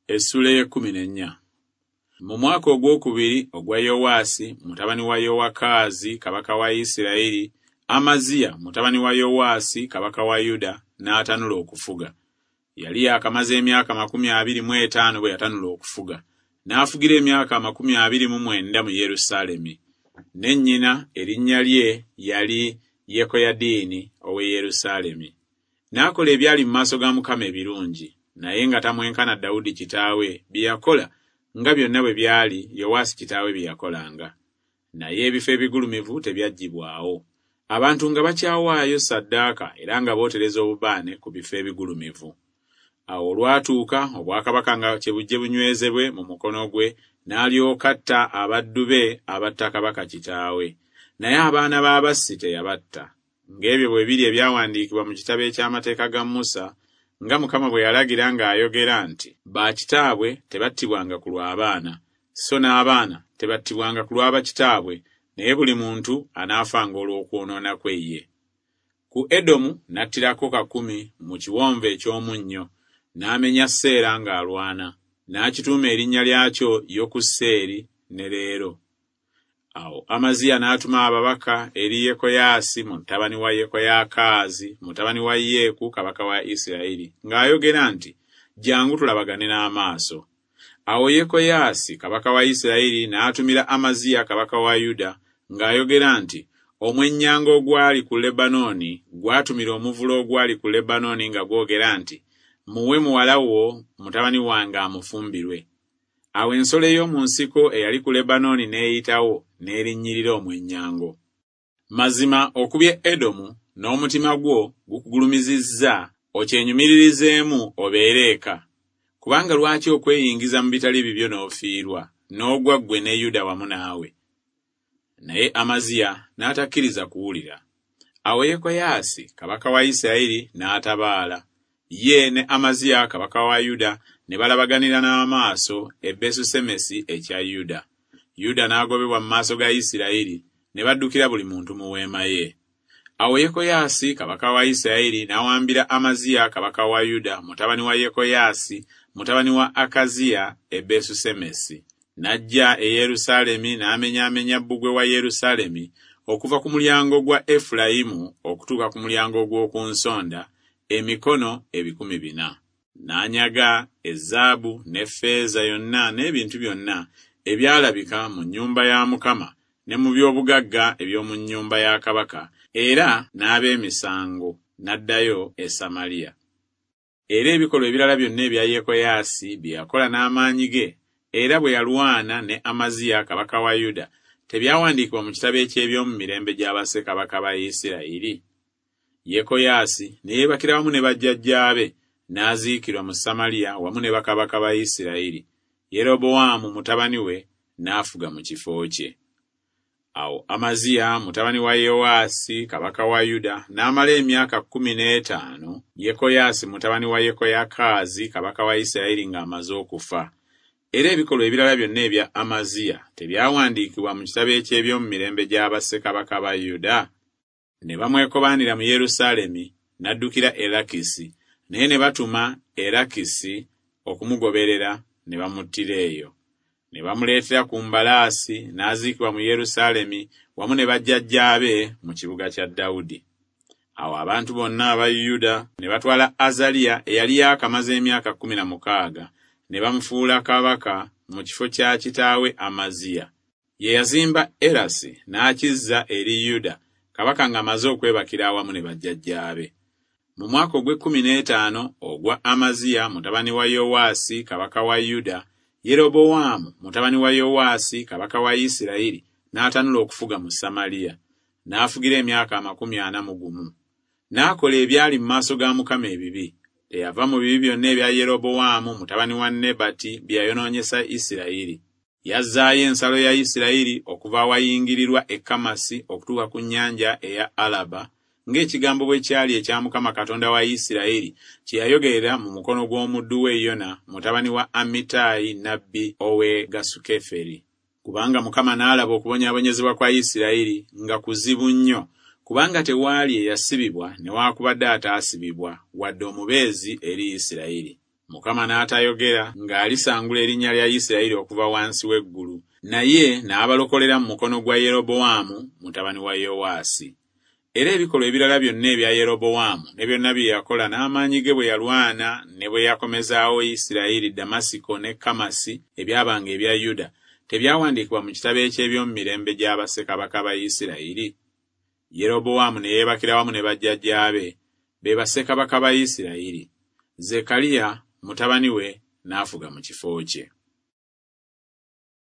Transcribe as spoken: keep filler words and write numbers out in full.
Essula ey'ekkumi n'ennya. Mu mwaka ogwokubiri ogwa Yowaasi mutabani wa Yowakaazi kabaka wa Isirayiri, Amaziya mutabani wa Yowaasi kabaka wa Yuda n'atanula okufuga. Yali yaakamaze emyaka amakumi abiri mu etaano bwe yatanula okufuga, n'afugira emyaka amakumi abiri mu mwenda mu Yerusaalemi. Ne nnyina erinnya lye yali Yekoyadiini ow'e Yerusaalemi. N'akola ebyali mu maaso ga Mukama ebirungi, naye nga tamwenkana Dawudi kitaawe bye yakola, nga byonna bwe byali Yowaasi kitaawe bye yakolanga. Naye ebifo ebigulumivu tebyaggyibwawo. Abantu nga bakyawaayo ssaddaaka era nga bootereza obubaane ku bifo ebigulumivu. Awo olwatuuka obwakabaka nga kyebujje bunywezebwe mu mukono gwe, n'alyoka atta abaddu be abatta kabaka kitaawe. Naye abaana b'abassi teyabatta. Ng'ebyo bwe biri ebyawandiikibwa mu kitabo eky'amateeka ga Musa, nga Mukama bwe yalagira ng'ayogera nti, Bakitaabwe tebattibwanga ku lw'abaana, so n'abaana tebattibwanga ku lwa bakitaabwe, naye buli muntu anaafanga olw'okwonoona kwe ye. Ku Edomu n'attirako kakumi mu kiwonvu eky'omunnyo, n'amenya Seera ng'alwana, n'akituuma erinnya lyakyo Yokuseeri ne leero. Awo Amaziya n'atuma ababaka eri Yekoyaasi mutabani wa Yekoyakaazi mutabani wa Yeeku kabaka wa Isirayiri, ng'ayogera nti, Jjangu tulabagane n'amaaso. Awo Yekoyaasi kabaka wa Isirayiri n'atumira Amaziya kabaka wa Yuda ng'ayogera nti, Omwennyango ogwali ku Lebanooni gwatumira omuvule ogwali ku Lebanooni nga gwogera nti, Muwe muwala wo mutabani wange amufumbirwe. Awo ensolo ey'omu nsiko eyali ku Lebanooni n'eyitawo n'erinnyirira omwennyango. Mazima okubye Edomu n'omutima gwo gukugulumizizza okyenyumiririzeemu obeere eka. Kubanga lwaki okweyingiza mu bitali bibyo n'ofiirwa, n'ogwa ggwe ne Yuda wamu naawe? Naye Amaziya n'atakkiriza kuwulira. Awo Yekoyaasi kabaka wa Isirayiri n'atabaala. Ye ne Amaziya kabaka wa Yuda ne balabaganira n'amaaso e Besusemesi ekya Yuda. Yuda n'agobebwa mu maaso ga Isirayiri, ne baddukira buli muntu mu weema ye. Awo Yekoyaasi kabaka wa Isirayiri n'awambira Amaziya kabaka wa Yuda mutabani wa Yekoyaasi mutabani wa Akaziya e Besusemesi. N'ajja e Yerusaalemi n'amenyaamenya bbugwe wa Yerusaalemi okuva ku mulyango gwa Efulayimu okutuuka ku mulyango ogw'oku nsonda, emikono ebikumi bina. N'anyaga ezaabu n'effeeza yonna n'ebintu byonna ebyalabika mu nnyumba ya Mukama ne mu by'obugagga eby'omu nnyumba ya kabaka, era n'ab'emisango, n'addayo e Samaliya. Era ebikolwa ebirala byonna ebya Yekoyaasi bye yakola n'amaanyi ge, era bwe yalwana ne Amaziya kabaka wa Yuda, tebyawandiikibwa mu kitabo eky'eby'omu mirembe gya bassekabaka ba Isirayiri? Yekoyaasi ne yeebakira wamu ne bajjajjaabe, n'aziikirwa mu Samaliya wamu ne bakabaka ba Isirayiri. Yerobowaamu mutabani we n'afuga mu kifo kye. Awo Amaziya mutabani wa Yowaasi kabaka wa Yuda n'amala emyaka kkumi n'etaano Yekoyaasi mutabani wa Yekoyakaazi kabaka wa Isirayiri ng'amaze okufa. Era ebikolwa ebirala byonna ebya Amaziya tebyawandiikibwa mu kitabo eky'eby'omu mirembe gya bassekabaka ba Yuda? Ne bamwekobaanira mu Yerusaalemi, n'addukira e Lakisi, naye ne batuma e Lakisi okumugoberera ne bamuttira eyo. Ne bamuleetera ku mbalaasi n'aziikibwa mu Yerusaalemi wamu ne bajjajjaabe mu kibuga kya Dawudi. Awo abantu bonna aba Yuda ne batwala Azaliya eyali yaakamaze emyaka kkumi na mukaaga, ne bamufuula kabaka mu kifo kya kitaawe Amaziya. Ye yazimba Erasi n'akizza eri Yuda, kabaka ng'amaze okwebakira awamu ne bajjajjaabe. Mu mwaka ogw'ekkumi n'etaano ogwa Amaziya mutabani wa Yowaasi kabaka wa Yuda, Yerobowaamu mutabani wa Yowaasi kabaka wa Isirayiri n'atanula okufuga mu Samaliya, n'afugira emyaka amakumi ana mu gumu. N'akola ebyali mu maaso ga Mukama ebibi. Teyava mu bibi byonna ebya Yerobowaamu mutabani wa Nebati bye yayonoonyesa Isirayiri. Yazzaayo ensalo ya Isirayiri okuva awayingirirwa e Kamasi okutuuka ku nnyanja eya Alaba, ng'ekigambo bwe kyali ekya Mukama Katonda wa Isirayiri kye yayogerera mu mukono gw'omuddu we Yona mutabani wa Amitaayi nnabbi ow'e Gasukeferi. Kubanga Mukama n'alaba okubonyaabonyezebwa kwa Isirayiri nga kuzibu nnyo, kubanga tewaali eyasibibwa newaakubadde ataasibibwa, wadde omubeezi eri Isirayiri. Mukama n'atayogera ng'alisangula erinnya lya Isirayiri okuva wansi w'eggulu, naye n'abalokolera mu mukono gwa Yerobowaamu mutabani wa Yowaasi. Era ebikolwa ebirala byonna ebya Yerobowaamu ne byonna bye yakola n'amaanyi ge bwe yalwana ne bwe yakomezaawo Isirayiri Damasiko ne Kamasi ebyabanga ebya Yuda, tebyawandiikibwa mu kitabo eky'ebyomumirembe gya bassekabaka ba Isirayiri? Yerobowaamu ne yeebakira wamu ne bajjajjaabe, be bassekabaka ba Isirayiri. Zekkaliya mutabani we n'afuga mu kifo kye.